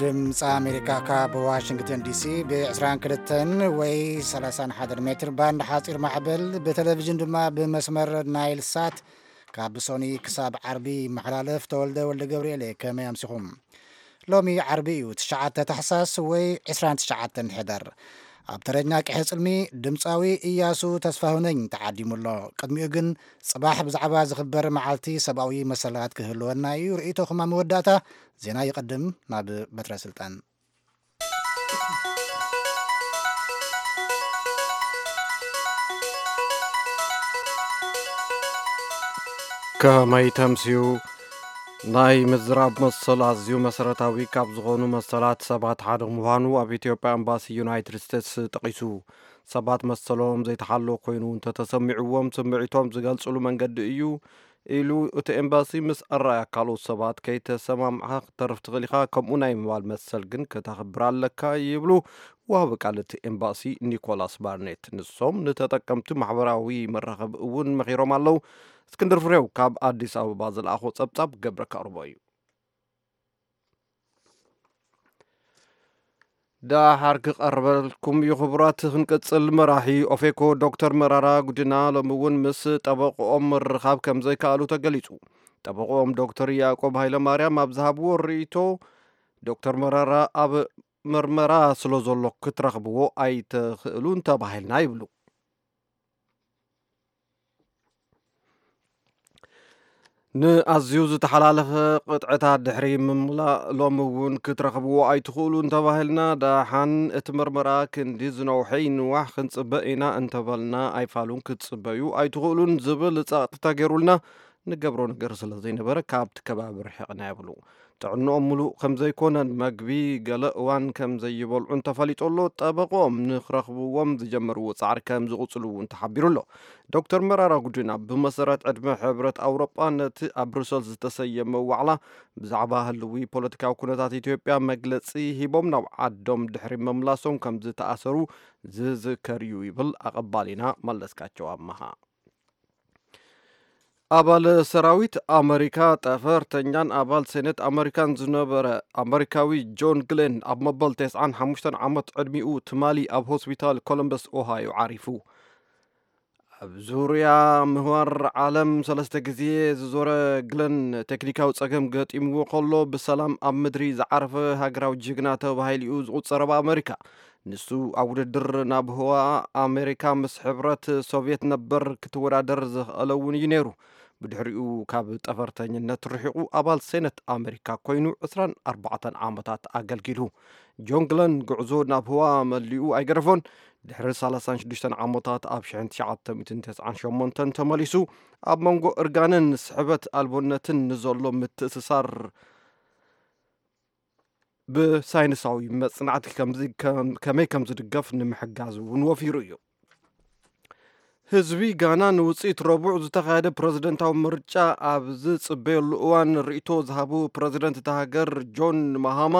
ድምፂ ኣሜሪካ ካብ ዋሽንግተን ዲሲ ብ22 ወይ 31 ሜትር ባንድ ሓፂር ማዕበል፣ ብቴሌቪዥን ድማ ብመስመር ናይል ሳት ካብ ሶኒ ክሳብ ዓርቢ ይመሓላለፍ። ተወልደ ወልደ ገብርኤል እየ። ከመይ ኣምሲኹም? ሎሚ ዓርቢ እዩ፣ ትሽዓተ ታሕሳስ ወይ ዕስራን ትሽዓተን ሕዳር። ኣብ ተረኛ ቀይሕ ጽልሚ ድምፃዊ እያሱ ተስፋሁነኝ ተዓዲሙ ኣሎ። ቅድሚኡ ግን ጽባሕ ብዛዕባ ዝኽበር መዓልቲ ሰብኣዊ መሰላት ክህልወና እዩ። ርእይቶኹም ኣብ መወዳእታ ዜና ይቐድም። ናብ በትረ ስልጣን። ከመይ ተምስዩ? ናይ ምዝራብ መሰል ኣዝዩ መሰረታዊ ካብ ዝኾኑ መሰላት ሰባት ሓደ ምዃኑ ኣብ ኢትዮጵያ ኤምባሲ ዩናይትድ ስቴትስ ጠቒሱ። ሰባት መሰሎም ዘይተሓሎ ኮይኑ እንተተሰሚዕዎም ስምዒቶም ዝገልጽሉ መንገዲ እዩ ኢሉ። እቲ ኤምባሲ ምስ ኣረኣያ ካልኦት ሰባት ከይተሰማምዓ ክትተርፍ ትኽእል ኢኻ፣ ከምኡ ናይ ምባል መሰል ግን ከተኽብር ኣለካ ይብሉ ወሃቢ ቃል እቲ ኤምባሲ ኒኮላስ ባርኔት። ንሶም ንተጠቀምቲ ማሕበራዊ መራኸቢ እውን መኺሮም ኣለዉ። እስክንድር ፍሬው ካብ ኣዲስ ኣበባ ዝለኣኾ ጸብጻብ ገብረ ከቕርቦ እዩ። ደሓር ክቐርበልኩም እዩ ክቡራት። ክንቅጽል፣ መራሒ ኦፌኮ ዶክተር መራራ ጉዲና ሎሚ እውን ምስ ጠበቆኦም ምርኻብ ከም ዘይከኣሉ ተገሊጹ። ጠበቆኦም ዶክተር ያዕቆብ ሃይለማርያም ኣብ ዝሃብዎ ርእይቶ፣ ዶክተር መራራ ኣብ ምርመራ ስለ ዘሎ ክትረኽብዎ ኣይትኽእሉን ተባሂልና ይብሉ። ንኣዝዩ ዝተሓላለኸ ቅጥዕታት ድሕሪ ምምላእ ሎሚ እውን ክትረኽብዎ ኣይትኽእሉን ተባሂልና። ደሓን እቲ ምርመራ ክንዲ ዝነውሐ ይንዋሕ ክንጽበ ኢና እንተበልና ኣይፋሉን ክትጽበዩ ኣይትኽእሉን ዝብል ጸቕጢ ተገይሩልና ንገብሮ ነገር ስለ ዘይነበረ ካብቲ ከባቢ ርሒቕና ይብሉ። ጥዕንኦም ምሉእ ከም ዘይኮነን መግቢ ገለ እዋን ከም ዘይበልዑን ተፈሊጡ ኣሎ። ጠበቆም ንክረኽብዎም ዝጀመርዎ ጻዕሪ ከም ዝቕጽሉ እውን ተሓቢሩ ኣሎ። ዶክተር መራራ ጉዲና ብመሰረት ዕድመ ሕብረት ኣውሮጳ ነቲ ኣብ ብሩሰልስ ዝተሰየመ ዋዕላ ብዛዕባ ህልዊ ፖለቲካዊ ኩነታት ኢትዮጵያ መግለጺ ሂቦም ናብ ዓዶም ድሕሪ ምምላሶም ከም ዝተኣሰሩ ዝዝከር እዩ ይብል ኣቐባሊና መለስካቸው ኣመሃ። ኣባል ሰራዊት ኣመሪካ፣ ጠፈርተኛን ኣባል ሴኔት ኣመሪካን ዝነበረ ኣመሪካዊ ጆን ግሌን ኣብ መበል ተስዓን ሓሙሽተን ዓመት ዕድሚኡ ትማሊ ኣብ ሆስፒታል ኮሎምበስ ኦሃዮ ዓሪፉ። ኣብ ዙርያ ምህዋር ዓለም ሰለስተ ግዜ ዝዞረ ግለን ቴክኒካዊ ጸገም ገጢምዎ ከሎ ብሰላም ኣብ ምድሪ ዝዓረፈ ሃገራዊ ጅግና ተባሂሉ እዩ ዝቑጸር ኣብ ኣመሪካ። ንሱ ኣብ ውድድር ናብ ህዋ ኣሜሪካ ምስ ሕብረት ሶቭየት ነበር ክትወዳደር ዝኽኣለ እውን እዩ ነይሩ። ብድሕሪኡ ካብ ጠፈርተኝነት ርሒቑ ኣባል ሴነት ኣሜሪካ ኮይኑ ዕስራን ኣርባዕተን ዓመታት ኣገልጊሉ። ጆን ግለን ጉዕዞ ናብ ህዋ መሊኡ ኣይገደፎን። ድሕሪ ሰላሳን ሽዱሽተን ዓመታት ኣብ ሽሕን ትሽዓተ ሚእትን ተስዓን ሸሞንተን ተመሊሱ ኣብ መንጎ እርጋንን ስሕበት ኣልቦነትን ንዘሎ ምትእስሳር ብሳይንሳዊ መጽናዕቲ ከምዚ ከም-፣ ከመይ ከም ዝድገፍ ንምሕጋዝ እውን ወፊሩ እዩ። ህዝቢ ጋና ንውጽኢት ረቡዕ ዝተኻየደ ፕረዚደንታዊ ምርጫ ኣብ ዝጽበየሉ እዋን ርእይቶ ዝሃቡ ፕረዚደንት እታ ሃገር ጆን ማሃማ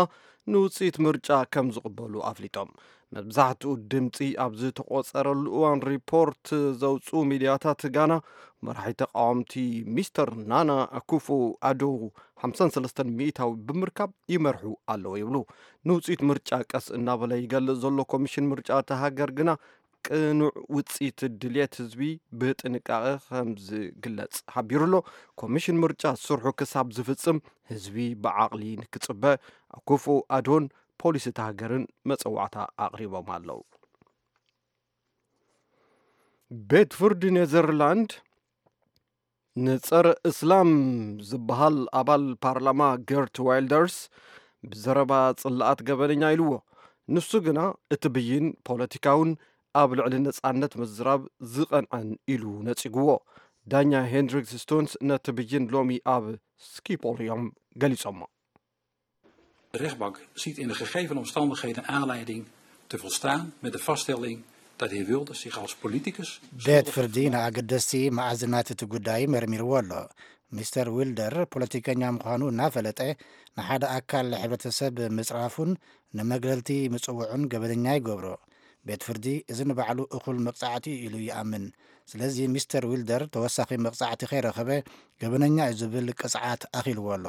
ንውጽኢት ምርጫ ከም ዝቕበሉ ኣፍሊጦም። መብዛሕትኡ ድምጺ ኣብ ዝተቖጸረሉ እዋን ሪፖርት ዘውጽኡ ሚድያታት ጋና መራሒ ተቃወምቲ ሚስተር ናና ኣኩፎ ኣዶ ሓምሳን ሰለስተን ሚእታዊ ብምርካብ ይመርሑ ኣለዉ ይብሉ። ንውጽኢት ምርጫ ቀስ እናበለ ይገልጽ ዘሎ ኮሚሽን ምርጫ እታ ሃገር ግና ቅኑዕ ውጽኢት ድልየት ህዝቢ ብጥንቃቐ ከም ዝግለጽ ሓቢሩ ኣሎ። ኮሚሽን ምርጫ ስርሑ ክሳብ ዝፍጽም ህዝቢ ብዓቕሊ ንክጽበ ኣኩፎ ኣዶን ፖሊስ እታ ሃገርን መጸዋዕታ ኣቕሪቦም ኣለዉ። ቤት ፍርዲ ኔዘርላንድ ንጸረ እስላም ዝበሃል ኣባል ፓርላማ ገርት ዋይልደርስ ብዘረባ ጽላኣት ገበነኛ ኢልዎ። ንሱ ግና እቲ ብይን ፖለቲካውን ኣብ ልዕሊ ነጻነት ምዝራብ ዝቐንዐን ኢሉ ነጺግዎ። ዳኛ ሄንድሪክስ ስቶንስ ነቲ ብይን ሎሚ ኣብ ስኪፖል እዮም ገሊጾሞ። De rechtbank ziet in de gegeven omstandigheden aanleiding te volstaan met de vaststelling dat de heer Wilders zich als politicus ቤት ፍርዲ ንኣገደስቲ መኣዝናት እቲ ጉዳይ መርሚርዎ ኣሎ። ሚስተር ዊልደር ፖለቲከኛ ምዃኑ እናፈለጠ ንሓደ ኣካል ሕብረተሰብ ምጽራፉን ንመግለልቲ ምጽውዑን ገበነኛ ይገብሮ። ቤት ፍርዲ እዚ ንባዕሉ እኹል መቕጻዕቲ እዩ ኢሉ ይኣምን። ስለዚ ሚስተር ዊልደር ተወሳኺ መቕጻዕቲ ከይረኸበ ገበነኛ እዩ ዝብል ቅጽዓት ኣኺልዎ ኣሎ።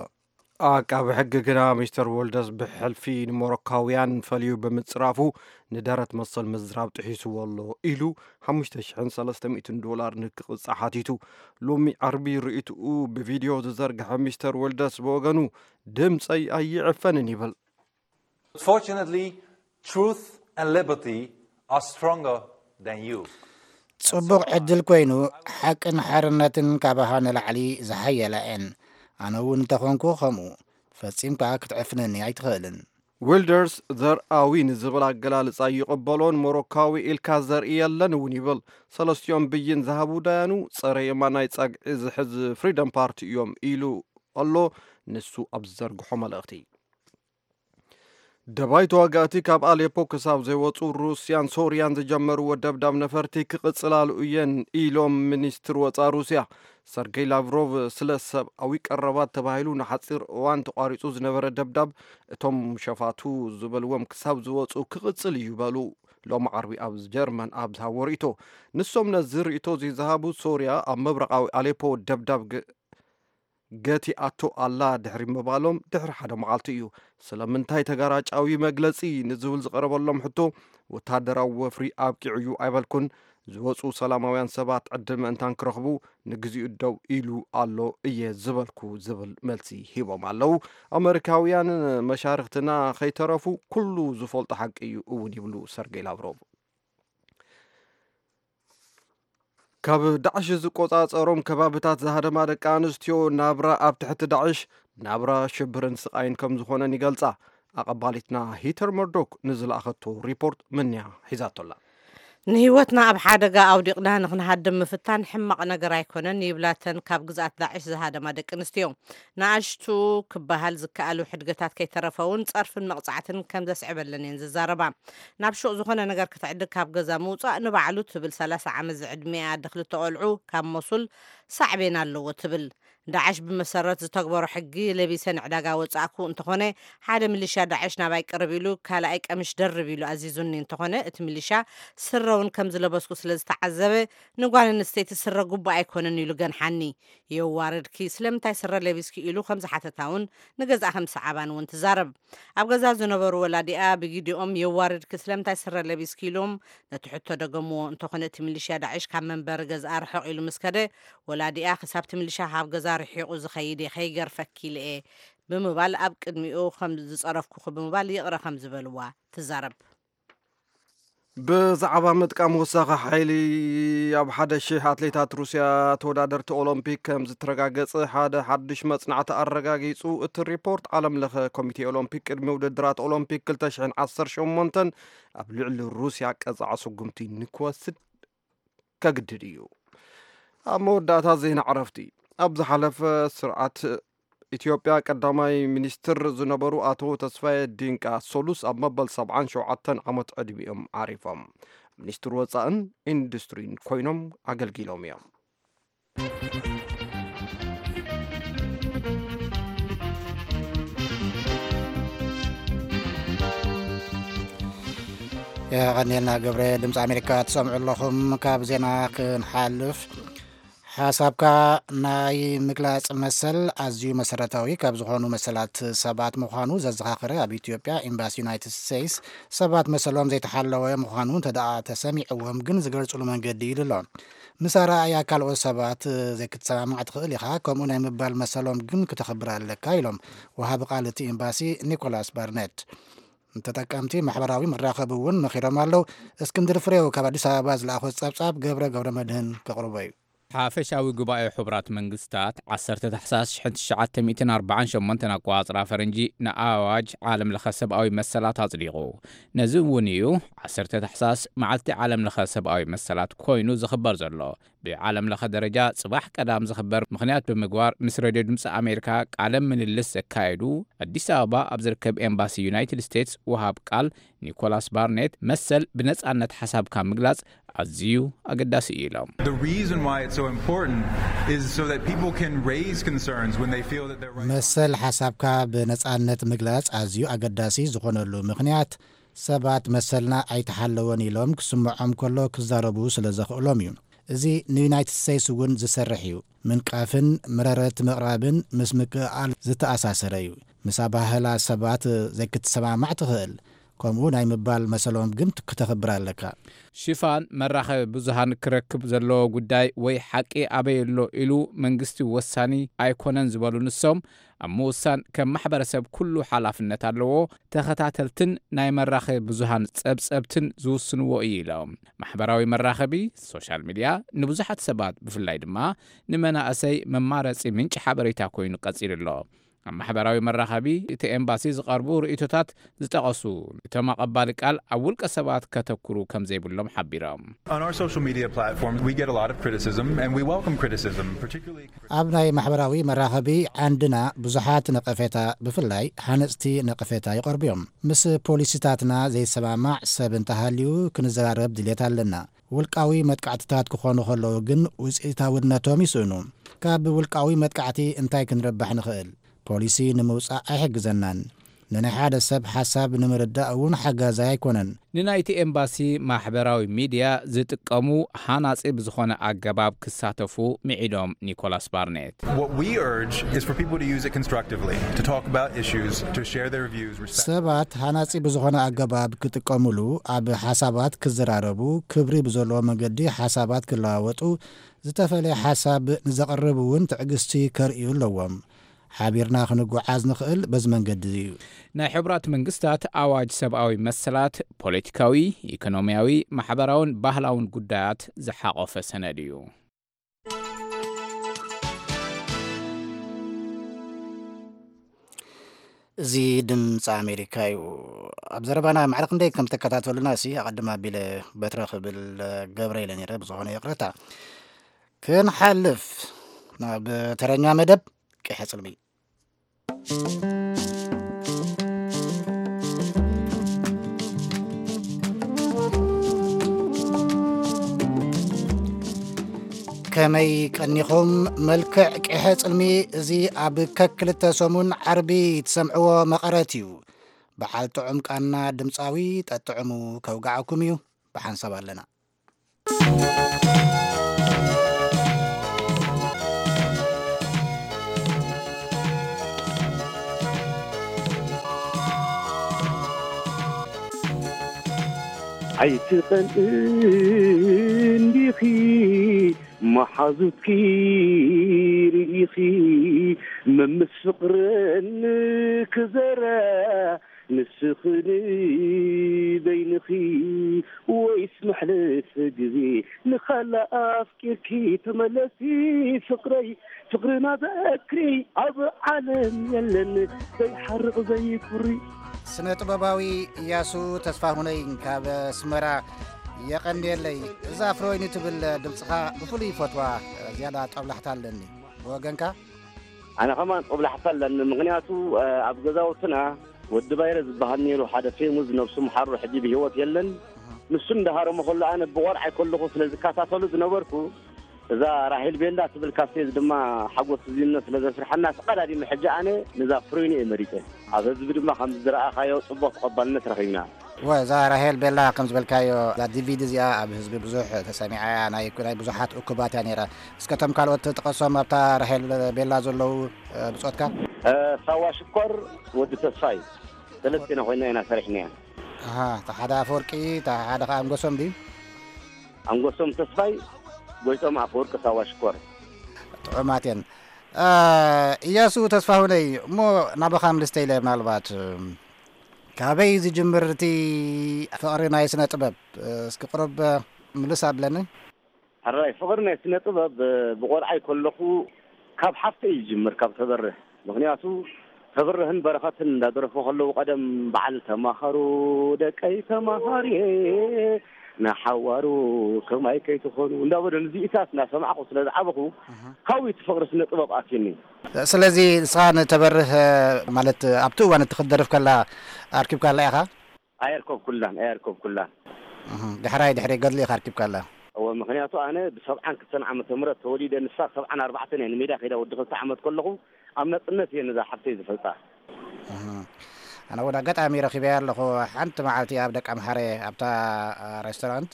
ኣቃቢ ሕጊ ግና ሚስተር ወልደስ ብሕልፊ ንሞሮካውያን ፈልዩ ብምጽራፉ ንደረት መሰል ምዝራብ ጥሒስዎ ኣሎ ኢሉ ሓሙሽተ ሽሕን ሰለስተ ሚእትን ዶላር ንክቕጻዕ ሓቲቱ። ሎሚ ዓርቢ ርእይትኡ ብቪድዮ ዝዘርግሐ ሚስተር ወልደስ ብወገኑ ድምጸይ ኣይዕፈንን ይብል። Fortunately, truth and liberty are stronger than you. ጽቡቕ ዕድል ኮይኑ፣ ሓቅን ሓርነትን ካባኻ ንላዕሊ ዝሓየላ እየን። ኣነ እውን እንተኾንኩ ከምኡ። ፈጺምካ ክትዕፍነኒ ኣይትኽእልን። ዊልደርስ ዘርኣዊ ንዝብል ኣገላልጻ ይቕበሎን ሞሮካዊ ኢልካ ዘርኢ የለን እውን ይብል። ሰለስቲኦም ብይን ዝሃቡ ዳያኑ ጸረ የማናይ ጸግዒ ዝሕዝ ፍሪደም ፓርቲ እዮም ኢሉ ኣሎ ንሱ ኣብ ዝዘርግሖ መልእኽቲ። ደባይ ተዋጋእቲ ካብ ኣሌፖ ክሳብ ዘይወፁ ሩስያን ሶርያን ዝጀመርዎ ደብዳብ ነፈርቲ ክቕፅላሉ እየን ኢሎም ሚኒስትር ወፃ ሩስያ ሰርጌይ ላቭሮቭ። ስለ ሰብኣዊ ቀረባት ተባሂሉ ንሓፂር እዋን ተቋሪፁ ዝነበረ ደብዳብ እቶም ሸፋቱ ዝበልዎም ክሳብ ዝወፁ ክቕፅል እዩ በሉ። ሎሚ ዓርቢ ኣብ ጀርመን ኣብ ዝሃቦ ርእቶ ንሶም ነዚ ርእቶ ዝዝሃቡ ሶርያ ኣብ ምብራቓዊ ኣሌፖ ደብዳብ ገቲኣቶ ኣላ ድሕሪ ምባሎም ድሕሪ ሓደ መዓልቲ እዩ። ስለምንታይ ተጋራጫዊ መግለጺ ንዝብል ዝቐረበሎም ሕቶ፣ ወታደራዊ ወፍሪ ኣብቂዑ እዩ ኣይበልኩን፣ ዝወጹ ሰላማውያን ሰባት ዕድል ምእንታን ክረኽቡ ንግዚኡ ደው ኢሉ ኣሎ እየ ዝበልኩ ዝብል መልሲ ሂቦም ኣለዉ። ኣመሪካውያን መሻርኽትና ከይተረፉ ኩሉ ዝፈልጦ ሓቂ እዩ እውን ይብሉ ሰርጌይ ላቭሮቭ። ካብ ዳዕሽ ዝቆጻጸሮም ከባብታት ዝሃደማ ደቂ ኣንስትዮ ናብራ ኣብ ትሕቲ ዳዕሽ ናብራ ሽብርን ስቓይን ከም ዝኾነን ይገልጻ። ኣቐባሊትና ሂተር መርዶክ ንዝለኣኸቶ ሪፖርት ምንያ ሒዛቶላ። ንህይወትና ኣብ ሓደጋ ኣውዲቕና ንክንሃድም ምፍታን ሕማቕ ነገር ኣይኮነን ይብላተን ካብ ግዝኣት ዳዕሽ ዝሃደማ ደቂ ኣንስትዮ። ንኣሽቱ ክበሃል ዝከኣሉ ሕድገታት ከይተረፈ እውን ጸርፍን መቕጻዕትን ከም ዘስዕበለን እየን ዝዛረባ። ናብ ሹቕ ዝኾነ ነገር ክትዕድግ ካብ ገዛ ምውጻእ ንባዕሉ ትብል ሰላሳ ዓመት ዝዕድሚኣ ኣደ ክልተ ቆልዑ ካብ ሞሱል ሳዕቤን ኣለዎ ትብል። ዳዕሽ ብመሰረት ዝተግበሮ ሕጊ ለቢሰ ንዕዳጋ ወጻእኩ እንተኾነ ሓደ ሚሊሻ ዳዕሽ ናባይ ቅርብ ኢሉ ካልኣይ ቀምሽ ደርብ ኢሉ ኣዚዙኒ እንተኾነ እቲ ሚሊሻ ስረ እውን ከም ዝለበስኩ ስለ ዝተዓዘበ ንጓል ኣንስተይቲ ስረ ጉቡእ ኣይኮነን ኢሉ ገንሓኒ። የዋረድኪ ስለምንታይ ስረ ለቢስኪ ኢሉ ከም ዝሓተታ እውን ንገዝኣ ከም ዝሰዓባን እውን ትዛረብ። ኣብ ገዛ ዝነበሩ ወላዲኣ ብጊዲኦም የዋርድኪ ስለምንታይ ስረ ለቢስኪ ኢሎም ነቲ ሕቶ ደገምዎ። እንተኾነ እቲ ሚሊሽያ ዳዕሽ ካብ መንበሪ ገዝኣ ርሕቕ ኢሉ ምስ ከደ ወላዲኣ ክሳብቲ ሚሊሻ ካብ ገዛ ርሒቑ ዝኸይድ እየ ከይገርፈኪ ኢለ እየ ብምባል ኣብ ቅድሚኡ ከም ዝጸረፍኩኺ ብምባል ይቕረ ከም ዝበልዋ ትዛረብ። ብዛዕባ ምጥቃም ወሳኺ ሓይሊ ኣብ ሓደ ሽሕ ኣትሌታት ሩስያ ተወዳደርቲ ኦሎምፒክ ከም ዝተረጋገጸ ሓደ ሓድሽ መጽናዕቲ ኣረጋጊጹ። እቲ ሪፖርት ዓለም ለኸ ኮሚቴ ኦሎምፒክ ቅድሚ ውድድራት ኦሎምፒክ ክልተ ሽሕን ዓሰርተ ሸሞንተን ኣብ ልዕሊ ሩስያ ቀጻዒ ስጉምቲ ንክወስድ ከግድድ እዩ። ኣብ መወዳእታ ዜና ዕረፍቲ። ኣብ ዝሓለፈ ስርዓት ኢትዮጵያ ቀዳማይ ሚኒስትር ዝነበሩ ኣቶ ተስፋዬ ዲንቃ ሶሉስ ኣብ መበል ሰብዓን ሸውዓተን ዓመት ዕድሚኦም ዓሪፎም። ሚኒስትር ወፃእን ኢንዱስትሪን ኮይኖም ኣገልጊሎም እዮም። የቐንየልና ገብረ። ድምፂ ኣሜሪካ ትሰምዑ ኣለኹም። ካብ ዜና ክንሓልፍ፣ ሓሳብካ ናይ ምግላፅ መሰል ኣዝዩ መሰረታዊ ካብ ዝኾኑ መሰላት ሰባት ምዃኑ ዘዘኻኸረ ኣብ ኢትዮጵያ ኤምባሲ ዩናይትድ ስቴትስ ሰባት መሰሎም ዘይተሓለወ ምዃኑ እንተደኣ ተሰሚዕዎም ግን ዝገልፅሉ መንገዲ ኢሉ ኣሎ። ምስ ኣረኣእያ ካልኦት ሰባት ዘይክትሰማማዕ ትኽእል ኢኻ፣ ከምኡ ናይ ምባል መሰሎም ግን ክተኽብር ኣለካ ኢሎም ወሃቢ ቃል እቲ ኤምባሲ ኒኮላስ ባርኔት። ንተጠቀምቲ ማሕበራዊ መራኸቢ እውን መኺሮም ኣለዉ። እስክንድር ፍሬው ካብ ኣዲስ ኣበባ ዝለኣኾ ጸብጻብ ገብረ ገብረ መድህን ከቕርቦ እዩ። ሓፈሻዊ ጉባኤ ሕቡራት መንግስታት ዓሰርተ ታሕሳስ ሽሕን ትሽዓተ ሚእትን ኣርባዓን ሸሞንተን ኣቆጻጽራ ፈረንጂ ንኣዋጅ ዓለም ለኸ ሰብኣዊ መሰላት ኣጽዲቑ። ነዚ እውን እዩ ዓሰርተ ታሕሳስ መዓልቲ ዓለም ለኸ ሰብኣዊ መሰላት ኮይኑ ዝኽበር ዘሎ። ብዓለም ለኸ ደረጃ ጽባሕ ቀዳም ዝኽበር ምኽንያት ብምግባር ምስ ሬድዮ ድምፂ ኣሜሪካ ቃለ ምልልስ ዘካየዱ ኣዲስ ኣበባ ኣብ ዝርከብ ኤምባሲ ዩናይትድ ስቴትስ ወሃብ ቃል ኒኮላስ ባርኔት መሰል ብነጻነት ሓሳብካ ምግላጽ ኣዝዩ ኣገዳሲ እዩ ኢሎም። The reason why it's so important is so that people can raise concerns when they feel that their rights መሰል ሓሳብካ ብነጻነት ምግላጽ ኣዝዩ ኣገዳሲ ዝኾነሉ ምኽንያት ሰባት መሰልና ኣይተሓለወን ኢሎም ክስምዖም ከሎ ክዛረቡ ስለ ዘኽእሎም እዩ። እዚ ንዩናይትድ ስቴትስ እውን ዝሰርሕ እዩ። ምንቃፍን ምረረት ምቕራብን ምስ ምክእኣል ዝተኣሳሰረ እዩ። ምስ ኣባህላ ሰባት ዘይክትሰማማዕ ትኽእል፣ ከምኡ ናይ ምባል መሰሎም ግን ክተኽብር ኣለካ። ሽፋን መራኸቢ ብዙሃን ክረክብ ዘለዎ ጉዳይ ወይ ሓቂ ኣበይ ኣሎ ኢሉ መንግስቲ ወሳኒ ኣይኮነን ዝበሉ ንሶም፣ ኣብ ምውሳን ከም ማሕበረሰብ ኩሉ ሓላፍነት ኣለዎ። ተኸታተልትን ናይ መራኸቢ ብዙሃን ጸብጸብትን ዝውስንዎ እዩ ኢሎም። ማሕበራዊ መራኸቢ፣ ሶሻል ሚድያ፣ ንብዙሓት ሰባት ብፍላይ ድማ ንመናእሰይ መማረጺ ምንጪ ሓበሬታ ኮይኑ ቀጺሉ ኣሎ። ኣብ ማሕበራዊ መራኸቢ እቲ ኤምባሲ ዝቐርቡ ርእይቶታት ዝጠቐሱ እቶም ኣቐባሊ ቃል ኣብ ውልቀ ሰባት ከተኩሩ ከም ዘይብሎም ሓቢሮም። On our social media platforms, we get a lot of criticism, and we welcome criticism, particularly ኣብ ናይ ማሕበራዊ መራኸቢ ዓንድና ብዙሓት ነቐፌታ፣ ብፍላይ ሃነጽቲ ነቐፌታ ይቐርቡ እዮም። ምስ ፖሊሲታትና ዘይሰማማዕ ሰብ እንተሃልዩ ክንዘራረብ ድሌት ኣለና። ውልቃዊ መጥቃዕትታት ክኾኑ ከለዉ ግን ውፅኢታውነቶም ይስእኑ። ካብ ውልቃዊ መጥቃዕቲ እንታይ ክንረባሕ ንኽእል? ፖሊሲ ንምውጻእ ኣይሕግዘናን። ንናይ ሓደ ሰብ ሓሳብ ንምርዳእ እውን ሓጋዛይ ኣይኮነን። ንናይቲ ኤምባሲ ማሕበራዊ ሚድያ ዝጥቀሙ ሃናጺ ብዝኾነ ኣገባብ ክሳተፉ ምዒዶም ኒኮላስ ባርኔት። What we urge is for people to use it constructively, to talk about issues, to share their views. Respect. ሰባት ሃናጺ ብዝኾነ ኣገባብ ክጥቀሙሉ፣ ኣብ ሓሳባት ክዘራረቡ፣ ክብሪ ብዘለዎ መንገዲ ሓሳባት ክለዋወጡ፣ ዝተፈለየ ሓሳብ ንዘቕርብ እውን ትዕግስቲ ከርእዩ ኣለዎም። ሓቢርና ክንጓዓዝ ንኽእል በዚ መንገዲ እዩ። ናይ ሕቡራት መንግስታት ኣዋጅ ሰብኣዊ መሰላት ፖለቲካዊ፣ ኢኮኖሚያዊ፣ ማሕበራውን ባህላውን ጉዳያት ዝሓቖፈ ሰነድ እዩ። እዚ ድምፂ ኣሜሪካ እዩ። ኣብ ዘረባና ማዕረ ክንደይ ከም ተከታተሉና ሲ ኣቐድም ኣቢለ በትረ ክብል ገብረ ኢለ ነይረ፣ ብዝኾነ ይቕረታ። ክንሓልፍ ናብ ተረኛ መደብ ቅሐ ጽልሚ። ከመይ ቀኒኹም? መልክዕ ቅሐ ጽልሚ እዚ ኣብ ከክልተ ሰሙን ዓርቢ ትሰምዕዎ መቐረት እዩ። በዓል ጥዑም ቃና ድምፃዊ ጠጥዕሙ ከውግዓኩም እዩ። ብሓንሳብ ኣለና። ኣይትቐንእ እንዲኺ መሓዙትኪ ርኢኺ መምስ ፍቕርን ክዘራ ንስኺ ንበይንኺ ወይስ መሕለፊ ግዜ ንኻልእ ኣፍቂርኪ ተመለሲ ፍቕረይ ፍቕርና ዘክሪ ኣብ ዓለም የለን ዘይሓርቕ ዘይኩሪ። ስነ ጥበባዊ እያሱ ተስፋሁነይ ካብ ኣስመራ የቐንየለይ። እዛ ፍሮይኒ ትብል ድምፅኻ ብፍሉይ ይፈትዋ፣ ዝያዳ ጦብላሕታ ኣለኒ ብወገንካ። ኣነ ከማን ጦብላሕታ ኣለኒ፣ ምኽንያቱ ኣብ ገዛውትና ወዲ ባይረ ዝበሃል ነይሩ፣ ሓደ ፌሙዝ ነብሱ ምሓሩ፣ ሕጂ ብህይወት የለን። ንሱ እንዳሃረሞ ከሎ ኣነ ብቆልዓይ ከለኹ ስለ ዝከታተሉ ዝነበርኩ፣ እዛ ራሄል ቤላ ትብል ካሴት ድማ ሓጎስ ዝነ ስለ ዘስርሐና ተቐዳዲመ ሕጂ ኣነ ነዛ ፍሮይኒ እየ መሪጸ። ኣብ ህዝቢ ድማ ከም ዝረኣኻዮ ጽቡቕ ተቐባልነት ረኺብና። ወ እዛ ራሄል ቤላ ከም ዝበልካዮ እዛ ዲቪዲ እዚኣ ኣብ ህዝቢ ብዙሕ ተሰሚዓ እያ፣ ናይ ናይ ብዙሓት እኩባት እያ ነይራ። እስከ እቶም ካልኦት ጥቀሶም ኣብታ ራሄል ቤላ ዘለዉ፣ እ፣ ብጾትካ። እ፣ ሳዋ ሽኮር፣ ወዲ ተስፋይ፣ ሰለስቴና ኮይና ኢና ሰሪሕናያ። ኣሃ፣ እታ ሓደ ኣፈወርቂ፣ እታ ሓደ ኸኣ ኣንጎሶም ድዩ? ኣንጎሶም ተስፋይ፣ ጎይቶም ኣፈወርቂ፣ ሳዋ ሽኮር። ጥዑማት እየን። እ፣ እያሱ ተስፋሁነይ፣ እሞ ናባኻ ምልስተ ኢለ ምናልባት፣ እ፣ ካበይ ዝጅምር እቲ ፍቕሪ ናይ ስነ ጥበብ? እ፣ እስኪ ቁሩብ ምልስ ኣብለኒ። ሕራይ፣ ፍቕሪ ናይ ስነ ጥበብ፣ እ፣ ብቆልዓይ ከለኹ ካብ ሓፍተይ እዩ ዝጅምር፣ ካብ ተበርህ። ምኽንያቱ ተበርህን በረኸትን እንዳደረፉ ከለዉ ቀደም በዓል ተማሃሩ ደቀይ ተማሃርየ ንሓዋሩ ከማይ ከይትኾኑ እንዳበሉ ንዚኢታት እናሰማዕኹ ስለ ዝዓበኹ እህ። ካብኡ እቲ ፍቕሪ ስነ ጥበብ ኣትዩኒ። ስለዚ ንስኻ ንተበርህ ማለት ኣብቲ እዋን እቲ ክትደርፍ ከላ ኣርኪብካላ ኢኻ? ኣየርከብኩላን፣ ኣየርከብኩላን። እህ፣ ዳሕራይ ድሕሪ ገድሊ ኢኻ ኣርኪብካላ? እወ፣ ምኽንያቱ ኣነ ብሰብዓን ክልተን ዓመተ ምህረት ተወሊደ፣ ንሳ ሰብዓን ኣርባዕተን እየ ንሜዳ ከይዳ ወዲ ክልተ ዓመት ከለኹ ኣብ ናጽነት እየ ነዛ ሓፍተይ ዝፈልጣ። እህ፣ ኣነ እውን ኣጋጣሚ ረኺበያ ኣለኹ። ሓንቲ መዓልቲ ኣብ ደቂ ኣምሓረ ኣብታ፣ አ፣ ሬስቶራንት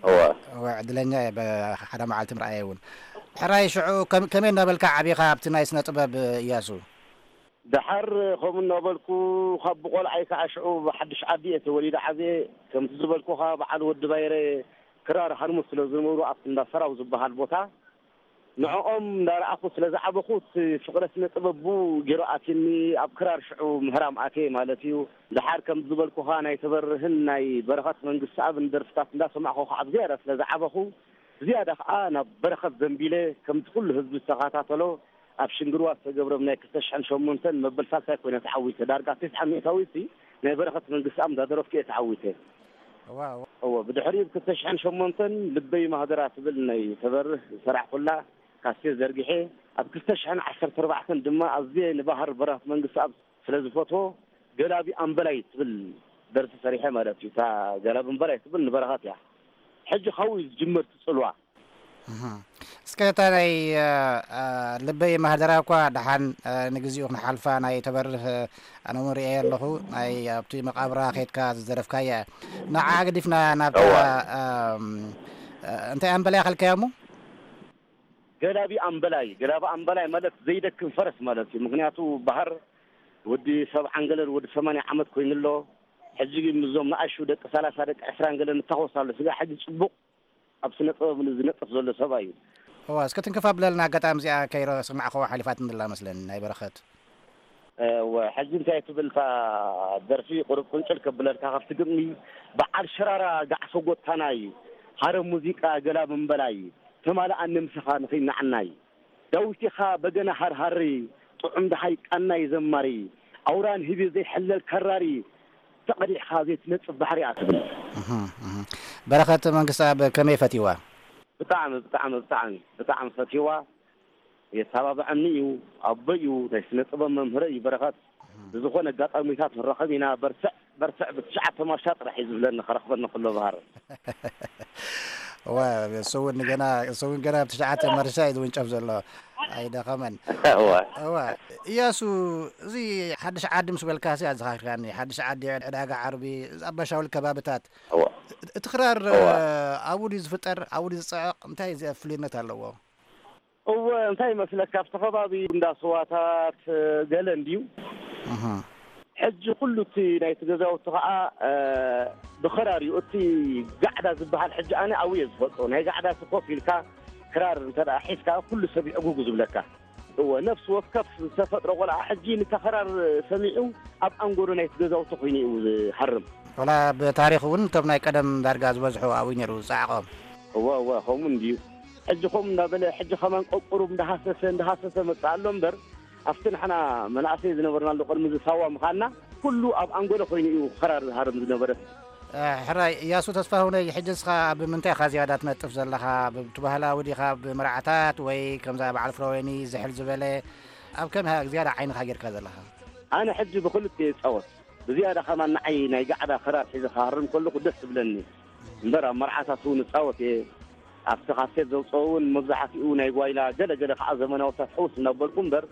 እወ። እወ፣ ዕድለኛ እየ፣ ብ-፣ ሓደ መዓልቲ ምርኣየ እውን። ሕራይ ሽዑ ከም-፣ ከመይ እናበልካ ዓቢኻ ኣብቲ ናይ ስነ ጥበብ እያሱ? ደሓር ከምኡ እናበልኩ ካብ ብቆልዓይ ከዓ ሽዑ ብሓድሽ ዓዲ እየ ተወሊደ ዓብየ። ከምቲ ዝበልኩኻ በዓል ወዲ ባይረ ክራር ሃርሙስ ስለ ዝነበሩ ኣብቲ እንዳ ሰራው ዝበሃል ቦታ ንዕኦም እንዳረኣኹ ስለ ዝዓበኹ እቲ ፍቕረ ስነ ጥበብ ብኡ ገይሩ ኣትዩኒ። ኣብ ክራር ሽዑ ምህራም ኣትየ ማለት እዩ። ደሓር ከም ዝበልኩኻ ናይ ተበርህን ናይ በረኸት መንግስትኣብን ደርፍታት እንዳሰማዕኹ ከዓ ብዝያዳ ስለ ዝዓበኹ ብዝያዳ ከዓ ናብ በረኸት ዘንቢለ ከምቲ ኩሉ ህዝቢ ዝተኸታተሎ ኣብ ሽንግርዋ ዝተገብረ ናይ ክልተ ሽሕን ሸሞንተን መበል ሳልሳይ ኮይነ ተዓዊተ። ዳርጋ ተስዓ ሚእታዊት ናይ በረኸት መንግስትኣብ እንዳደረፍኩ እየ ተዓዊተ። እዋ፣ እዋ። እወ፣ ብድሕሪኡ ብ ክልተ ሽሕን ሸሞንተን ልበይ ማህደራ ትብል ናይ ተበርህ ዝሰራሕኩላ ካሴት ዘርጊሐ፣ ኣብ ክልተ ሽሕን ዓሰርተ ኣርባዕተን ድማ ኣዝየ ንባህር በረኸት መንግስትኣብ ስለ ዝፈትዎ ገላቢ ኣምበላይ ትብል ደርፊ ሰሪሐ ማለት እዩ። እታ ገላቢ ኣምበላይ ትብል ንበረኸት እያ። ሕጂ ካብኡ እዩ ዝጅምር እቲ ጽልዋ። እህ። እስከ እታ ናይ፣ እ፣ እ፣ ልበይ ማህደራ እኳ ደሓን፣ እ፣ ንግዚኡ ክንሓልፋ ናይ ተበርህ፣ እ፣ ኣነ እውን ርእየ ኣለኹ። ናይ ኣብቲ መቓብራ ኸይድካ ዝደረፍካያ እያ። ንዓ ገዲፍና ናብታ፣ እዋ። እም፣ እ፣ እንታይ ኣምበላ ያኸልካያ እሞ? ገላቢ ኣምበላይ። ገላቢ ኣምበላይ ማለት ዘይደክም ፈረስ ማለት እዩ። ምኽንያቱ ባህር ወዲ ሰብዓን ገለን ወዲ ሰማንያ ዓመት ኮይኑ ኣሎ። ሕጂ ግን ምስዞም ንኣሽቱ ደቂ ሰላሳ ደቂ ዕስራን ገለን እታኾስ ኣሎ። ስጋ ሕጂ ጽቡቕ ኣብ ስነ ጥበብ ዝነጥፍ ዘሎ ሰብኣይ እዩ። እዋ፣ እስከ ትንክፍ ኣብለልና፣ ኣጋጣሚ እዚኣ ከይረስማዕኸዋ ሓሊፋትኒ ዘላ መስለኒ፣ ናይ በረኸት። እወ፣ ሕጂ እንታይ ትብል እታ ደርፊ? ቁሩብ ቁንጭል ከብለልካ ካብቲ ግጥሚ፣ በዓል ሸራራ ጋዕሶ ጎታናይ፣ ሃረም ሙዚቃ ገላ ምንበላይ፣ ተማልኣኒ ምሳኻ ንኺናዕናይ፣ ዳዊት ኢኻ በገና ሃርሃሪ፣ ጥዑም ደሃይ ቃናይ ዘማሪ፣ ኣውራን ህቢ ዘይሕለል ከራሪ፣ ተቐዲሕኻ ዘይትነጽፍ ባሕሪ እያ ትብል። እህ፣ እህ። በረኸት መንግስትኣብ ከመይ ፈትይዋ? ብጣዕሚ፣ ብጣዕሚ፣ ብጣዕሚ፣ ብጣዕሚ ፈትይዋ። የተባብዐኒ እዩ። ኣቦይ እዩ፣ ናይ ስነ ጥበብ መምህረይ እዩ በረኸት። ብዝኾነ ኣጋጣሚታት ንራኸብ ኢና። በርትዕ፣ በርትዕ፣ ብትሽዓተ ማርሻ ጥራሕ እዩ ዝብለኒ፣ ከረኽበኒ ከሎ ባህር። እዋ፣ እሱ እውን ገና፣ እሱ እውን ገና ብትሽዓተ ማርሻ እዩ ዝውንጨፍ ዘሎ። ኣይደኸመን። እዋ። እዋ። እያሱ፣ እዚ ሓድሽ ዓዲ ምስ በልካ ሲ ኣዘኻኺርካኒ። ሓድሽ ዓዲ፣ ዕዳጋ ዓርቢ፣ ኣባሻውል ከባብታት። እዋ። እቲ ክራር፣ እዋ። ኣብኡ ድዩ ዝፍጠር? ኣብኡ ድዩ ዝጸዕቕ? እንታይ እዚ ፍሉይነት ኣለዎ? እወ፣ እንታይ ይመስለካ፣ ኣብቲ ከባቢ እንዳ ስዋታት፣ ገለ እንድዩ። እህ። ሕጂ ኩሉ እቲ ናይቲ ገዛውቲ ኸዓ፣ እ፣ ብኸራር እዩ። እቲ ጋዕዳ ዝበሃል ሕጂ ኣነ ኣብኡ እየ ዝፈልጦ። ናይ ጋዕዳ እቲ ኮፍ ኢልካ ክራር እንተ ደኣ ሒዝካ ኩሉ ሰብ ይዕጉጉ ዝብለካ። እወ፣ ነፍሲ ወከፍ ዝተፈጥረ ቆልዓ ሕጂ ንታ ኸራር ሰሚዑ ኣብ ኣንጎሎ ናይቲ ገዛውቲ ኮይኑ እዩ ዝሃርም። ወላ ብታሪኽ እውን እቶም ናይ ቀደም ዳርጋ ዝበዝሑ ኣብኡ ነይሩ ጻዕቖም። እወ፣ እወ፣ ከምኡ እንድዩ። ሕጂ ከምኡ እንዳበለ፣ ሕጂ ከማን ቀቁሩብ እንዳሃሰሰ፣ እንዳሃሰሰ መጽእ ኣሎ እምበር፣ ኣብቲ ንሕና መናእሰይ ዝነበርናሉ ቅድሚ እዚ ሳዋ ምዃንና፣ ኩሉ ኣብ ኣንጎሎ ኮይኑ እዩ ኸራር ዝሃርም ዝነበረ። እ፣ ሕራይ፣ እያሱ ተስፋሁነይ፣ ሕጂ ንስኻ ኣብ ምንታይ ኢኻ ዝያዳ ትነጥፍ ዘለኻ? ብቲ ባህላዊ ዲኻ፣ ብመርዓታት ወይ ከምዛ በዓል ፍረወይኒ ዝሕል ዝበለ፣ ኣብ ከመይ ኢኻ ዝያዳ ዓይንኻ ጌርካ ዘለኻ? ኣነ ሕጂ ብኽልቲኡ እጻወት። ብዝያዳ ከማን ንዓይ ናይ ጋዕዳ ክራር ሒዘ ክሃርም ከለኹ ደስ ትብለኒ። እምበር ኣብ መርዓታት እውን እጻወት እየ። ኣብቲ ካሴት ዘውፅኦ እውን መብዛሕትኡ ናይ ጓይላ፣ ገለ ገለ ከዓ ዘመናውታት ሕውስ እናበልኩ እምበር፣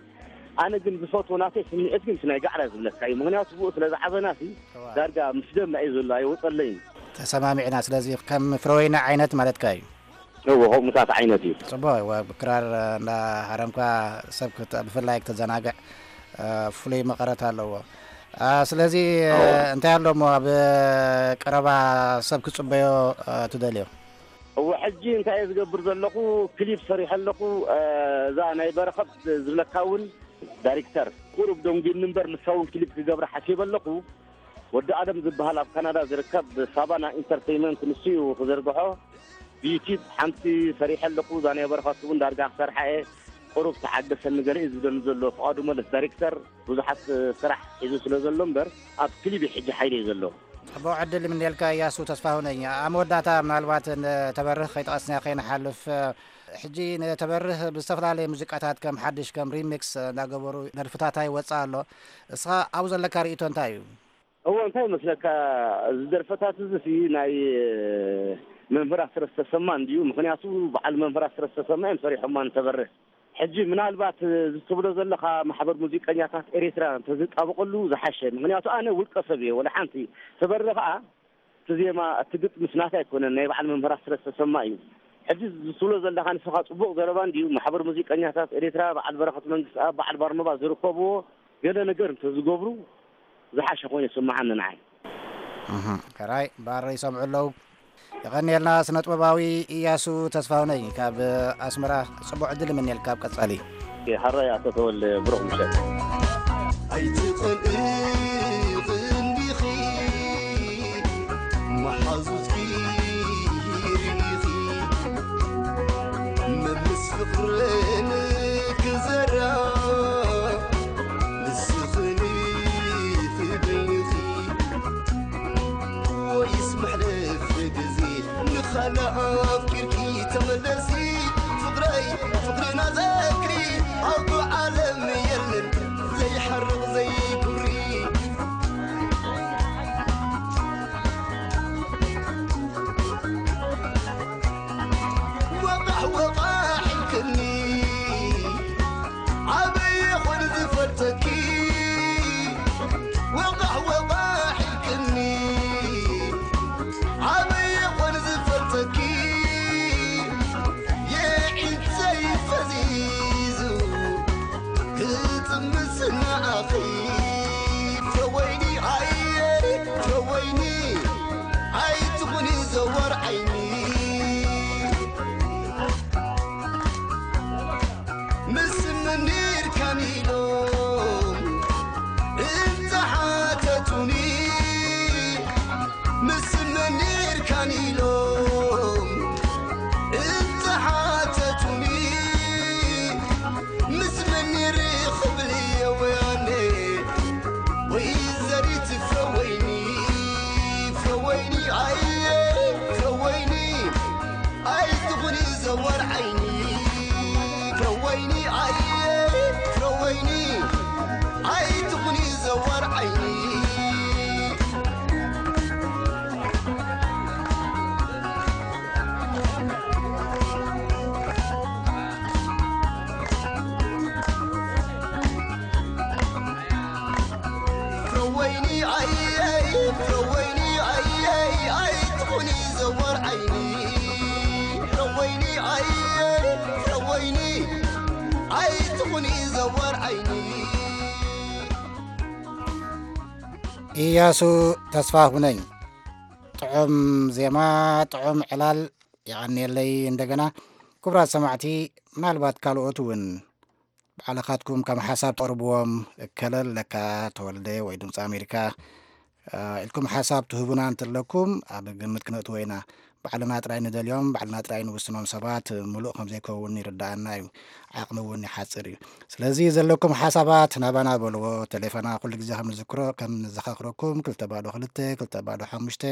ኣነ ግን ዝፈትዎ ናተይ ስምዒት ግን እቲ ናይ ጋዕዳ ዝብለካ እዩ። ምኽንያቱ ብኡ ስለ ዝዓበና ሲ እዋ። ዳርጋ ምስ ደምና እዩ ዘሎ፣ ኣይወፀለይን። ተሰማሚዕና፣ ስለዚ ከም ፍረወይኒ ዓይነት ማለትካ እዩ። እወ፣ ከምኡታት ዓይነት እዩ። ጽቡቕ፣ እወ፣ ብክራር እንዳ ሃረምካ ሰብ ክተ-፣ ብፍላይ ክተዘናግዕ፣ እ፣ ፍሉይ መቐረት ኣለዎ። እ፣ ስለዚ፣ እ፣ እወ። እንታይ ኣሎ እሞ ኣብ ቀረባ ሰብ ክጽበዮ፣ እ፣ ትደልዮ? እወ፣ ሕጂ እንታይ እየ ዝገብር ዘለኹ? ክሊፕ ሰሪሐ ኣለኹ። እ፣ እዛ ናይ በረኸት ዝብለካ እውን ዳይሬክተር ቁሩብ ደንጒኒ እምበር፣ ንሳ እውን ክሊፕ ክገብራ ሓሲበ ኣለኹ። ወዲ ኣለም ዝበሃል ኣብ ካናዳ ዝርከብ ሳባና ኢንተርቴይንመንት ንሱ እዩ ክዘርግሖ። ብዩቲዩብ ሓንቲ ሰሪሐ ኣለኹ። እዛ ናይ በረኸት እውን ዳርጋ ክሰርሓ እየ። ቁሩብ ተዓገሰኒ ገለ እዩ ዝብለኒ ዘሎ ፍቓዱ መለስ ዳይሬክተር። ብዙሓት ስራሕ ሒዙ ስለ ዘሎ እምበር ኣብ ክሊፕ እዩ ሕጂ ሓይለይ ዘሎ። ጽቡቕ ዕድል ይምነየልካ እያሱ ተስፋሁነኝ። ኣብ መወዳእታ ምናልባት ንተበርህ ከይጠቐስና ከይንሓልፍ፣ ሕጂ ንተበርህ ብዝተፈላለየ ሙዚቃታት ከም ሓድሽ ከም ሪሚክስ እንዳገበሩ ደርፍታታ ይወጽእ ኣሎ። እስኻ ኣብኡ ዘለካ ርእይቶ እንታይ እዩ? እወ፣ እንታይ ይመስለካ፣ እዚ ደርፈታት እዚ ሲ ናይ መምህር ኣስረስ ተሰማ እንድዩ። ምኽንያቱ በዓል መምህር ኣስረስ ተሰማ እዮም ሰሪሖማ ንተበርህ። ሕጂ ምናልባት እዚ ትብሎ ዘለኻ ማሕበር ሙዚቀኛታት ኤሪትራ እንተዝጣበቐሉ ዝሓሸ። ምኽንያቱ ኣነ ውልቀ ሰብ እየ፣ ወላ ሓንቲ። ተበርህ ኸኣ እቲ ዜማ፣ እቲ ግጥምስ ናተይ ኣይኮነን፣ ናይ በዓል መምህራት ስለ ዝተሰማ እዩ። ሕጂ ዝትብሎ ዘለኻ ንስኻ ጽቡቕ ዘረባ እንድዩ። ማሕበር ሙዚቀኛታት ኤርትራ፣ በዓል በረኸት መንግስትኣብ፣ በዓል ባርኖባ ዝርከብዎ ገለ ነገር እንተዝገብሩ ዝሓሸ ኮይኑ ይስምዓኒ ንዓይ። እህ፣ ሕራይ ባር ይሰምዑ ኣለዉ። የቐንየልና ስነ ጥበባዊ ኢያሱ ተስፋሁነይ ካብ ኣስመራ። ጽቡቕ ዕድል እምነልካ ኣብ ቀጻሊ። ሓራይ ኣቶ ተወልደ፣ ብሩኽ ምሸት። ኣይትቐንኢ ቐንዲኺ፣ መሓዙትኪ ርኢኺ፣ መምስ ፍቕርን ክዘራ፣ ንስኽን ትደንኺ። ወይስ መሕለፊ ግዜ ንኻልእ ኣፍቂርኪ ተመለሲ? ፍቕረይ ፍቕርና ዘክሪ፣ ኣብ ዓለም የለን ዘይሓርቕ ዘይኩሪ። ወቓሕ ወቓሕ ኢልክኒ፣ ኣበይ ይኾን ዝፈልጠኪ? ወቓሕ ወቓሕ ኢልክኒ፣ ኣበይ ይኾን ዝፈልጠኪ? የዒንተይ ፈዚዙ ክጥምስ ንኣኺ። ፍረወይኒ ኣየ ፍረወይኒ፣ ኣይትኹኒ ዘዋር ዓይኒ። ምስ መን ኔርካን ኢሎም እንተሓተቱኒ፣ ምስ መን ኔርካን ኢሎም እንተሓተቱኒ፣ ምስ መን ኔረ ክብል እየ ወያነ። ወይዘሪት ፍረወይኒ፣ ፍረወይኒ ኣየ ፍረወይኒ፣ ኣይትኹኒ ዘዋር ዓይኒ። ፍረወይኒ ኣየ ፍረወይኒ፣ ኣይትኹኒ ዘዋር ዓይኒ። ፍረወይኒ ኣየይ፣ ፍረወይኒ ኣየይ፣ ኣይትኹኒ ዘዋር ዓይኒ። ፍረወይኒ ኣየይ፣ ፍረወይኒ፣ ኣይትኹኒ ዘዋር ዓይኒ። ኢያሱ ተስፋሁነኝ፣ ጥዑም ዜማ፣ ጥዑም ዕላል፣ የቐንየለይ እንደገና። ክቡራት ሰማዕቲ፣ ምናልባት ካልኦት እውን ባዕልኻትኩም ከም ሓሳብ ተቕርብዎም፣ እከለ ኣለካ ተወልደ ወይ ድምፂ ኣሜሪካ፣ እ፣ ኢልኩም ሓሳብ ትህቡና እንተለኩም ኣብ ግምት ክነእትዎ ኢና። ባዕልና ጥራይ ንደልዮም፣ ባዕልና ጥራይ ንውስኖም ሰባት ምሉእ ከም ዘይከውን ይርድኣና እዩ። ዓቕሚ እውን ይሓጽር እዩ። ስለዚ ዘለኩም ሓሳባት ናባና በልዎ። ቴሌፎና ኩሉ ግዜ ከም ንዝክሮ፣ ከም ንዘኻኽረኩም፣ ክልተ ባዶ ክልተ፣ ክልተ ባዶ ሓሙሽተ፣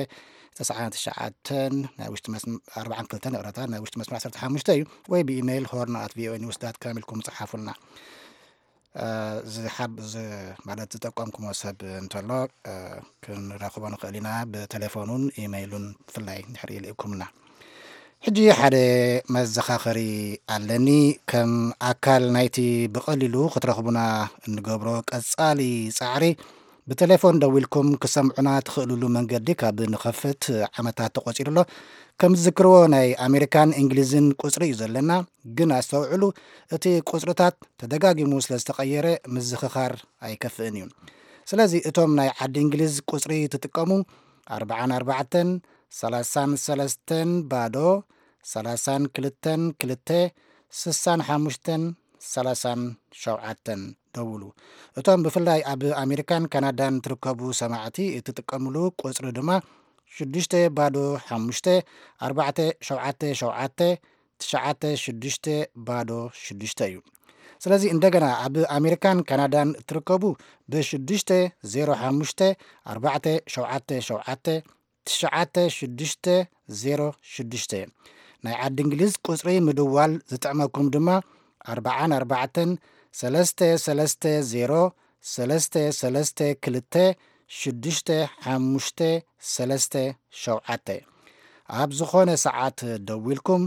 ተስዓን ትሽዓተን፣ ናይ ውሽጢ መስመ-፣ ኣርባዓን ክልተን፣ ይቕረታ፣ ናይ ውሽጢ መስመር ዓሰርተ ሓሙሽተ እዩ። ወይ ብኢሜይል ሆርን ኣት ቪኦኤ ኒውስ ዳት ካም ኢልኩም ጽሓፉልና። እ፣ ዝሓብ-፣ ዝ-፣ ማለት ዝጠቀምኩሞ ሰብ እንተሎ፣ እ፣ ክንረኽቦ ንኽእል ኢና፣ ብቴሌፎኑን ኢሜይሉን ብፍላይ እንድሕር ልኢኩምና። ሕጂ ሓደ መዘኻኸሪ ኣለኒ። ከም ኣካል ናይቲ ብቐሊሉ ክትረኽቡና እንገብሮ ቀጻሊ ጻዕሪ፣ ብቴሌፎን ደዊልኩም ክሰምዑና ትኽእልሉ መንገዲ ካብ ንኸፍት ዓመታት ተቖጺሩ ኣሎ። ከም ዝዝክርዎ፣ ናይ ኣሜሪካን እንግሊዝን ቁጽሪ እዩ ዘለና። ግን ኣስተውዕሉ፣ እቲ ቁጽርታት ተደጋጊሙ ስለ ዝተቐየረ ምዝኽኻር ኣይከፍእን እዩ። ስለዚ እቶም ናይ ዓዲ እንግሊዝ ቁጽሪ ትጥቀሙ፣ ኣርባዓን ኣርባዕተን፣ ሰላሳን ሰለስተን፣ ባዶ፣ ሰላሳን ክልተን፣ ክልተ፣ ስሳን ሓሙሽተን፣ ሰላሳን ሸውዓተን ደውሉ። እቶም ብፍላይ ኣብ ኣሜሪካን ካናዳን ትርከቡ ሰማዕቲ እትጥቀምሉ ቁጽሪ ድማ ሽዱሽተ ባዶ ሓሙሽተ ኣርባዕተ ሸውዓተ ሸውዓተ ትሽዓተ ሽዱሽተ ባዶ ሽዱሽተ እዩ። ስለዚ እንደገና ኣብ ኣሜሪካን ካናዳን እትርከቡ ብሽዱሽተ ዜሮ ሓሙሽተ ኣርባዕተ ሸውዓተ ሸውዓተ ትሽዓተ ሽዱሽተ ዜሮ ሽዱሽተ። ናይ ዓዲ እንግሊዝ ቁጽሪ ምድዋል ዝጥዕመኩም ድማ ኣርባዓን ኣርባዕተን ሰለስተ ሰለስተ ዜሮ ሰለስተ ሰለስተ ክልተ ሽዱሽተ ሓሙሽተ ሰለስተ ሸውዓተ። ኣብ ዝኾነ ሰዓት ደዊልኩም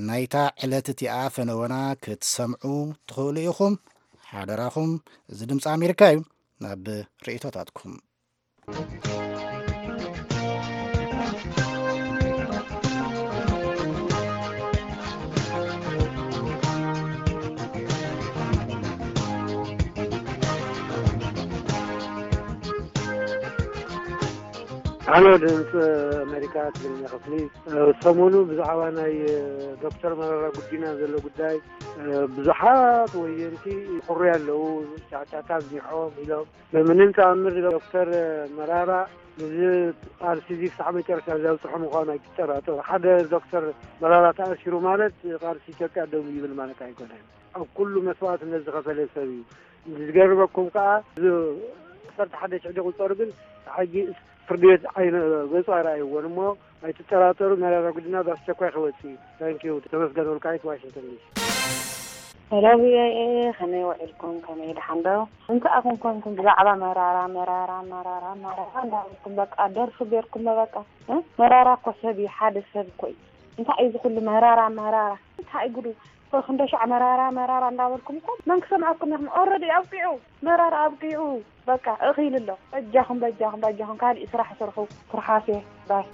ናይታ ዕለት እቲኣ ፈነወና ክትሰምዑ ትኽእሉ ኢኹም። ሓደራኹም፣ እዚ ድምፂ ኣሜሪካ እዩ። ናብ ርእይቶታትኩም። ኣሎ። ድምፂ ኣሜሪካ ትግርኛ ክፍሊ፣ ሰሞኑ ብዛዕባ ናይ ዶክተር መረራ ጉዲና ዘሎ ጉዳይ ብዙሓት ወየንቲ ይኩርዩ ኣለዉ። ጫጫታ ኣብዚሖም ኢሎም፣ በምንም ተኣምር ዶክተር መራራ እዚ ቃልሲ እዚ ክሳዕ መጨረሻ ዘብፅሖ ምዃኑ ኣይትጠራጠሩ። ሓደ ዶክተር መራራ ተኣሲሩ ማለት ቃልሲ ኢትዮጵያ ደው ይብል ማለት ኣይኮነን። ኣብ ኩሉ መስዋእትነት ዝኸፈለ ሰብ እዩ። ዝገርመኩም ከዓ፣ እዚ ዓሰርተ ሓደ ሽሕ ዝቁፀሩ ግን ሕጂ ፍርዲ ቤት ዓይነ ገፁ ኣይረኣይዎን እሞ፣ ኣይትጠራጠሩ። መረራ ጉዲና ብኣስቸኳይ ክወፅእ እዩ። ታንኪዩ። ተመስገን ወልቃይት፣ ዋሽንግተን ዲሲ። ሄሎ፣ ቪ ኦ ኤ፣ ከመይ ውዒልኩም? ከመይ ድሓን ዶ? እንታይ ኣኹም ኮንኩም ብዛዕባ መራራ፣ መራራ፣ መራራ፣ መራራ እንዳበልኩም በቃ ደርፊ ጌርኩም በቃ፣ እ? መራራ እኮ ሰብ እዩ፣ ሓደ ሰብ እኮ እዩ። እንታይ እዩ እዚ ኩሉ መራራ፣ መራራ? እንታይ ጉዱ? እኮ ክንደይ ሻዕ መራራ፣ መራራ እንዳበልኩም እኮ መን ክሰምዐኩም ኢኹም? ኦረዲ ኣብቂዑ፣ መራራ ኣብቂዑ። በቃ እኺሉ ኣሎ። በጃኹም፣ በጃኹም፣ በጃኹም ካሊእ ስራሕ ስርሑ። ትርሓሴ ባይ።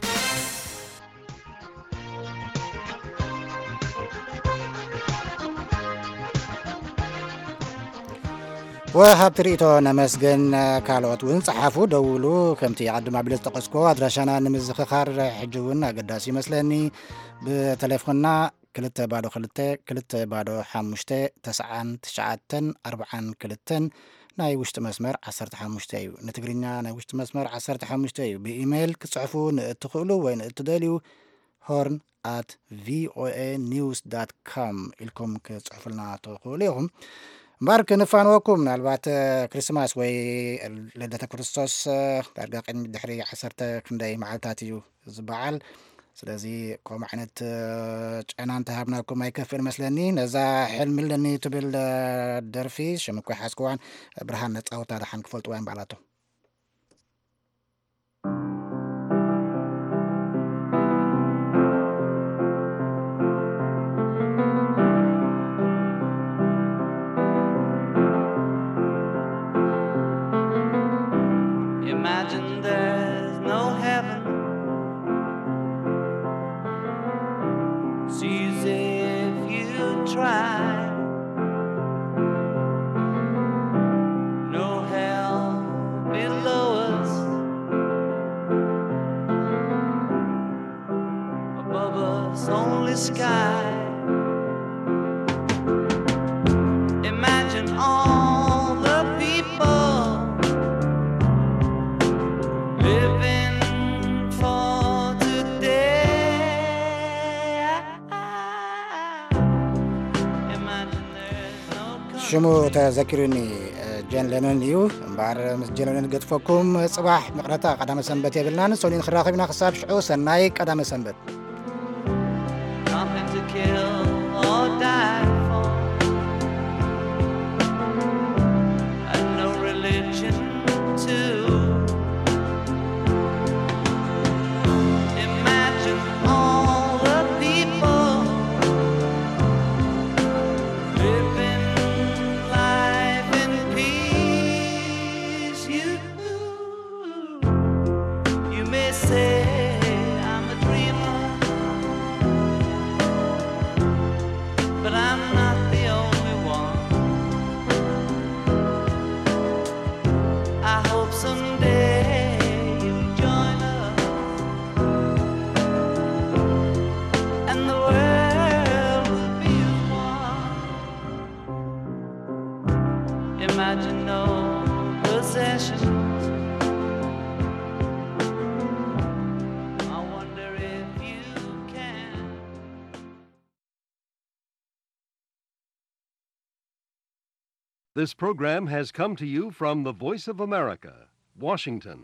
ወሃብቲ ርእይቶ ነመስግን። ካልኦት እውን ጸሓፉ፣ ደውሉ። ከምቲ ኣቐድም ኣቢለ ዝጠቐስኩዎ ኣድራሻና ንምዝኽኻር ሕጂ እውን ኣገዳሲ ይመስለኒ። ብቴሌፎንና ክልተ ባዶ ክልተ፣ ክልተ ባዶ ሓሙሽተ፣ ተስዓን ትሽዓተን ኣርብዓን ክልተን ናይ ውሽጢ መስመር ዓሰርተ ሓሙሽተ እዩ። ንትግርኛ ናይ ውሽጢ መስመር ዓሰርተ ሓሙሽተ እዩ። ብኢሜይል ክጽሕፉ ንእትኽእሉ ወይ ንእትደልዩ፣ ሆርን ኣት ቪ ኦ ኤ ኒውስ ዳት ኮም ኢልኩም ክጽሕፉልና ትኽእሉ ኢኹም። እምበኣር ክንፋንወኩም፣ ምናልባት፣ እ፣ ክርስማስ ወይ ልደተ ክርስቶስ፣ እ፣ ዳርጋ ቅድሚ ድሕሪ ዓሰርተ ክንደይ መዓልታት እዩ ዝበዓል። ስለዚ ከምኡ ዓይነት፣ እ፣ ጨና እንተሃብናኩም ኣይከፍእን መስለኒ። ነዛ ሕልሚ ኣለኒ ትብል፣ እ፣ ደርፊ ሽም እኮ ይሓዝክዋን፣ ብርሃን ነጻውታ ደሓን ክፈልጥዋ እዮም በዓላቶም። Imagine there's no heaven. It's easy if you try. No hell below us. Above us, only sky. Imagine all the people living for today. Imagine there's no ሽሙ ተዘኪሩኒ፣ እ፣ ጀን ለኖን እዩ። እምበኣር ምስ ጀን ለኖን ገጥፈኩም። ጽባሕ መቕረታ ቀዳመ ሰንበት የብልናን። ሰኑይ ንኽራኸብ ኢና። ክሳብ ሽዑ ሰናይ ቀዳመ ሰንበት። Nothing to kill or die for, and no religion too. Imagine all the people living life in peace. You, you may say I'm a dreamer, but I'm not the only one. I hope someday you'll join us, and the world will be as one. Imagine no possessions. I wonder if you can. This program has come to you from the Voice of America, Washington.